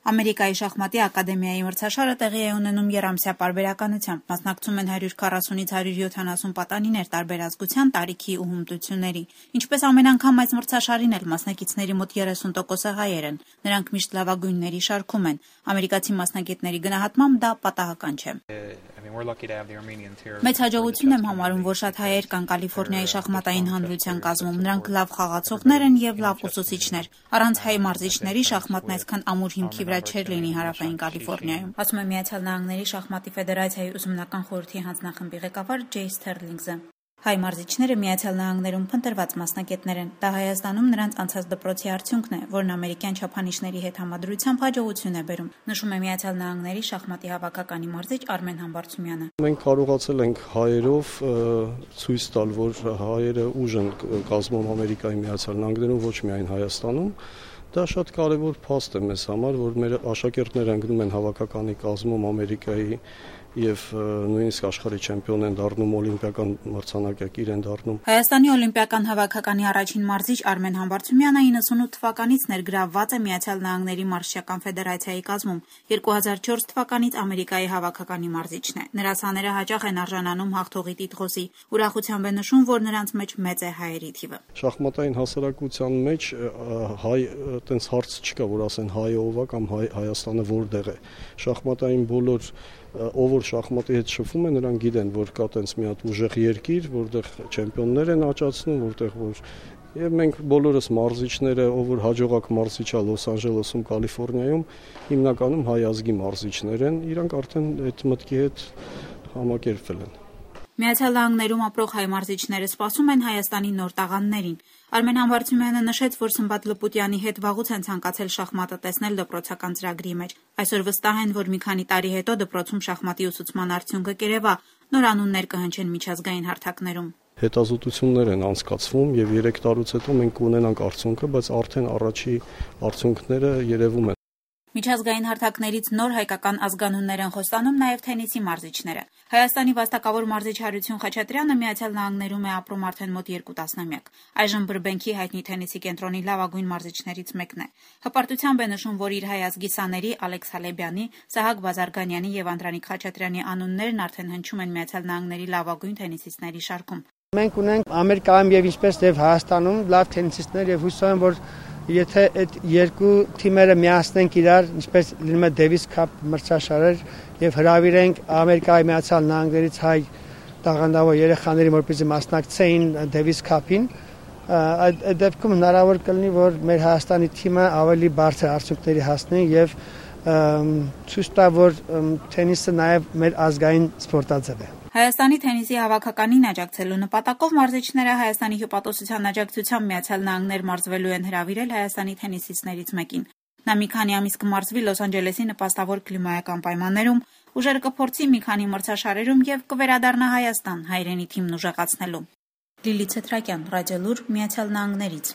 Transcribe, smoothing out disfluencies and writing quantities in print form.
Ամերիկայի շախմատի ակադեմիայի մրցաշարը տեղի է ունենում եռամսյա պարբերականությամբ, մասնակցում են 140-ից 170 պատանիներ տարբեր ազգության, տարիքի ու հմտությունների։ Ինչպես ամեն անգամ այս մրցաշարին էլ մասնակիցների մոտ 30%-ը հայեր են, նրանք միշտ լավագույնների շարքում են։ Ամերիկացի մասնագետների գնահատմամբ դա պատահական չէ։ Մեծ հաջողություն եմ համարում, որ շատ հայեր կան Կալիֆոռնիայի շախմատային հանրության կազմում, նրանք լավ խաղացողներ են և լավ ուսուցիչներ։ Առանց հայ մարզիչների շախմատն այսքան ամուր հիմքի վրա չէր լինի Հարավային Կալիֆոռնիայում, ասում է Միացյալ Նահանգների շախմատի ֆեդերացիայի ուսումնական խորհրդի հանձնախմբի ղեկավար Ջեյ Սթերլինգզը։ Հայ մարզիչները Միացյալ Նահանգներում փնտրված մասնագետներ են։ Դա Հայաստանում նրանց անցած դպրոցի արդյունքն է, որն ամերիկյան չափանիշների հետ համադրությամբ հաջողություն է բերում, նշում է Միացյալ Նահանգների շախմատի հավաքականի մարզիչ Արմեն Համբարձումյանը։ Մենք կարողացել ենք հայերով ցույց տալ, որ հայերը ուժ են կազմում Ամերիկայի Միացյալ Նահանգներում, ոչ միայն Հայաստանում։ Դա շատ կարևոր փաստ է մեզ համար, որ մեր աշակերտները ընկնում են հավաքականի կազմում Ամերիկայի եւ նույնիսկ աշխարհի չեմպիոն են դառնում, օլիմպիական մրցանակակիր են դառնում։ Հայաստանի օլիմպիական հավաքականի առաջին մարզիչ Արմեն Համբարձումյանը 98 թվականից ներգրավված է Միացյալ Նահանգների մարզչական ֆեդերացիայի կազմում, 2004 թվականից Ամերիկայի հավաքականի մարզիչն է։ Նրա սաները հաճախ են արժանանում հաղթողի տիտղոսի։ Ուրախությամբ է նշում, որ նրանց մեջ մեծ է հայերի թիվը։ Շախմատային հասարակության մեջ հայ այտենց հարց չկա, որ ասեն հայը ով է կամ Հայաստանը որտեղ է։ Շախմատային բոլոր ով որ շախմատի հետ շփվում է, նրանք գիտեն, որ կա այտենց մի հատ ուժեղ երկիր, որտեղ չեմպիոններ են աճացնում, որտեղ որ եւ մենք բոլորս մարզիչները, ով որ հաջողակ մարզիչ է Լոս Անջելեսում, Կալիֆոռնիայում, հիմնականում հայ ազգի մարզիչներ են, իրանք արդեն այդ մտքի հետ համակերպվել են։ Միացյալ Նահանգներում ապրող հայ մարզիչները սպասում են Հայաստանի նոր տաղանդներին։ Արմեն Համբարձումյանը նշեց, որ Սմբատ Լպուտյանի հետ վաղուց են ցանկացել շախմատը տեսնել դպրոցական ծրագրի մեջ։ Այսօր վստահ են, որ մի քանի տարի հետո դպրոցում շախմատի ուսուցման արդյունքը կերևա, նոր անուններ կհնչեն միջազգային հարթակներում։ Հետազոտություններ են անցկացվում եւ 3 տարուց հետո մենք կունենանք արդյունքը, բայց արդեն առաջի արդյունքները երևում են։ Միջազգային հարթակներից նոր հայկական ազգանուններ են խոստանում նաև թենիսի մարզիչները։ Հայաստանի վաստակավոր մարզիչ Հարություն Խաչատրյանը Միացյալ Նահանգներում է ապրում արդեն մոտ 2 տասնամյակ։ Այժմ Բրբենքի հայտնի թենիսի կենտրոնի լավագույն մարզիչներից մեկն է։ Հպարտությամբ է նշում, որ իր հայ ազգի սաների Ալեքս Հալեբյանի, Սահակ Բազարգանյանի եւ Անդրանիկ Խաչատրյանի անուններն արդեն հնչում են Միացյալ Նահանգների լավագույն թենիսիստների շարքում։ Մենք ունենք Ամերիկայում եւ ինչպես եւ Հայաստանում լավ թենիսիստներ եւ հուսով եմ, որ եթե այդ երկու թիմերը միացնենք իրար, ինչպես լինում է Դեվիս Քափ մրցաշարեր եւ հրավիրենք Ամերիկայի Միացյալ Նահանգներից հայ տաղանդավոր երեխաներին, որպեսզի մասնակցեին Դեվիս Քափին, այդ դեպքում հնարավոր կլինի, որ մեր Հայաստանի թիմը ավելի բարձր արդյունքների հասնի եւ ցույց տա, որ թենիսը նաեւ մեր ազգային սպորտաձև է։ Հայաստանի թենիսի հավաքականին աջակցելու նպատակով մարզիչները Հայաստանի հյուպատոսության աջակցությամբ Միացյալ Նահանգներ մարզվելու են հրավիրել Հայաստանի թենիսիստներից մեկին։ Նա մի քանի ամիս կմարզվի Լոս Անջելեսի նպաստավոր կլիմայական պայմաններում, ուժերը կփորձի մի քանի մրցաշարերում եւ կվերադառնա Հայաստան հայրենի թիմն ուժեղացնելու։ Լիլիթ Ցետրակյան, Ռադիոլուր, Միացյալ Նահանգներից։